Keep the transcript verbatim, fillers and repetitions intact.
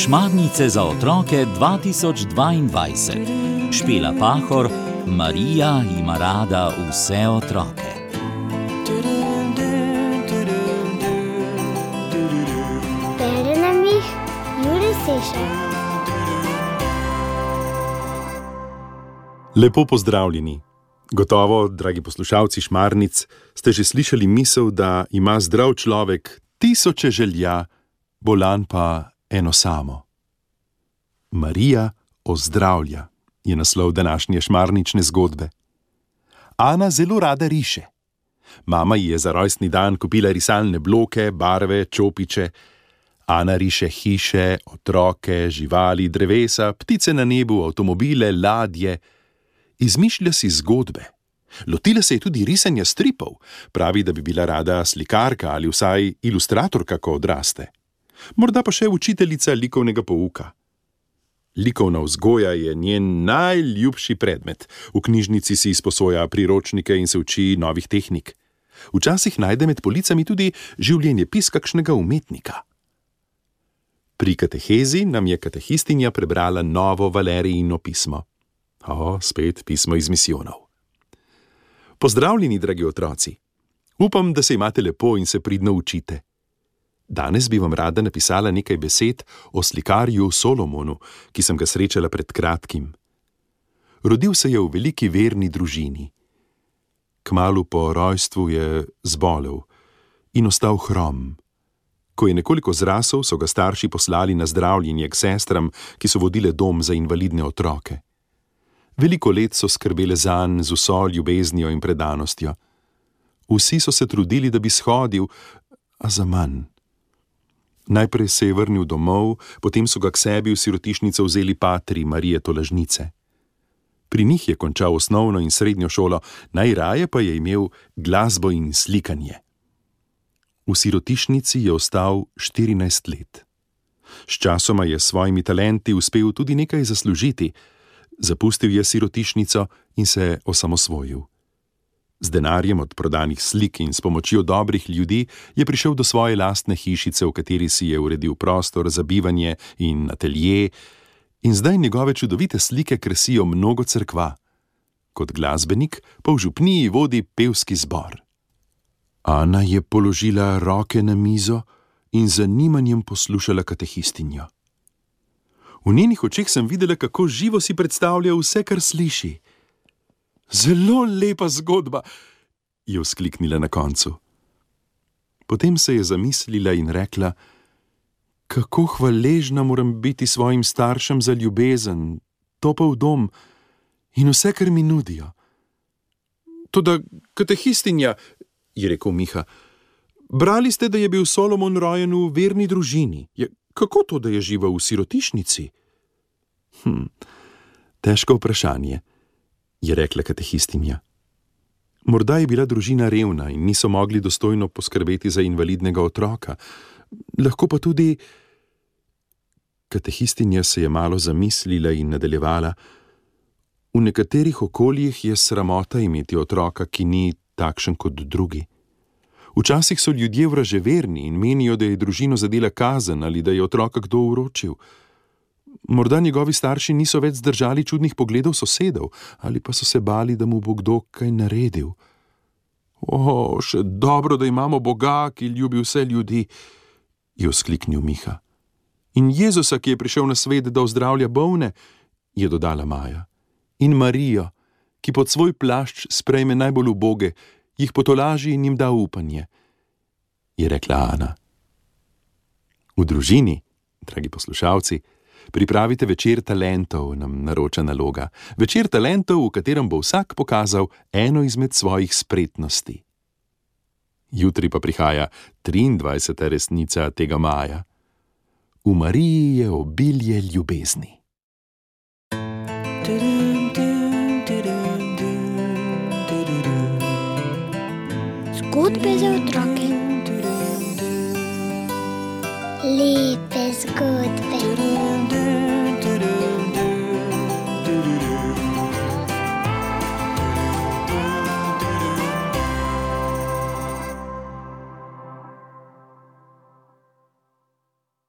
Šmarnice za otroke dva tisoč dvaindvajset. Špela Pahor, Marija ima rada vse otroke. Bere nam jih Jure Sešar. Lepo pozdravljeni. Gotovo, dragi poslušalci Šmarnic, ste že slišali misel, da ima zdrav človek tisoče želja, bolan pa eno samo. Marija ozdravlja je naslov današnje šmarnične zgodbe. Ana zelo rada riše. Mama ji je za rojstni dan kupila risalne bloke, barve, čopiče. Ana riše hiše, otroke, živali, drevesa, ptice na nebu, avtomobile, ladje. Izmišlja si zgodbe. Lotila se je tudi risanja stripov. Pravi, da bi bila rada slikarka ali vsaj ilustratorka, ko odraste. Morda pa še učiteljica likovnega pouka. Likovna vzgoja je njen najljubši predmet. V knjižnici si izposoja priročnike in se uči novih tehnik. Včasih najde med policami tudi življenjepis kakšnega umetnika. Pri katehezi nam je katehistinja prebrala novo Valerijino pismo. O, spet pismo iz misijonov. Pozdravljeni, dragi otroci. Upam, da se imate lepo in se pridno učite. Danes bi vam rada napisala nekaj besed o slikarju Solomonu, ki sem ga srečala pred kratkim. Rodil se je v veliki verni družini. Kmalu po rojstvu je zbolel in ostal hrom. Ko je nekoliko zrasel, so ga starši poslali na zdravljenje k sestram, ki so vodile dom za invalidne otroke. Veliko let so skrbele zanj z vso ljubeznijo in predanostjo. Vsi so se trudili, da bi shodil, a zaman. Najprej se je vrnil domov, potem so ga k sebi v sirotišnico vzeli patri Marije Tolažnice. Pri njih je končal osnovno in srednjo šolo, najraje pa je imel glasbo in slikanje. V sirotišnici je ostal štirinajst let. Sčasoma je s svojimi talenti uspel tudi nekaj zaslužiti. Zapustil je sirotišnico in se osamosvojil. Z denarjem od prodanih slik in s pomočjo dobrih ljudi je prišel do svoje lastne hišice, v kateri si je uredil prostor za bivanje in atelje, in zdaj njegove čudovite slike krasijo mnogo cerkva. Kot glasbenik pa v župniji vodi pevski zbor. Ana je položila roke na mizo in z zanimanjem poslušala katehistinjo. V njenih očeh sem videla, kako živo si predstavlja vse, kar sliši. Zelo lepa zgodba, je vzkliknila na koncu. Potem se je zamislila in rekla, kako hvaležna moram biti svojim staršem za ljubezen, topel dom in vse, kar mi nudijo. Toda katehistinja, je rekel Miha, brali ste, da je bil Solomon rojen v verni družini. Je, kako to, da je živel v sirotišnici? Hm, težko vprašanje, je rekla katehistinja. Morda je bila družina revna in niso mogli dostojno poskrbeti za invalidnega otroka. Lahko pa tudi... Katehistinja se je malo zamislila in nadaljevala. V nekaterih okoljih je sramota imeti otroka, ki ni takšen kot drugi. Včasih so ljudje vraževerni in menijo, da je družino zadela kazen ali da je otroka kdo uročil. Morda njegovi starši niso več zdržali čudnih pogledov sosedov, ali pa so se bali, da mu bo kdo kaj naredil. O, še dobro, da imamo Boga, ki ljubi vse ljudi, je vzkliknil Miha. In Jezusa, ki je prišel na svet, da ozdravlja bolne, je dodala Maja. In Marijo, ki pod svoj plašč sprejme najbolj uboge, jih potolaži in jim da upanje, je rekla Ana. V družini, dragi poslušalci, pripravite večer talentov, nam naroča naloga. Večer talentov, v katerem bo vsak pokazal eno izmed svojih spretnosti. Jutri pa prihaja triindvajseta resnica tega maja. V Mariji je obilje ljubezni. Zgodbe za otroke. Lepe zgodbe.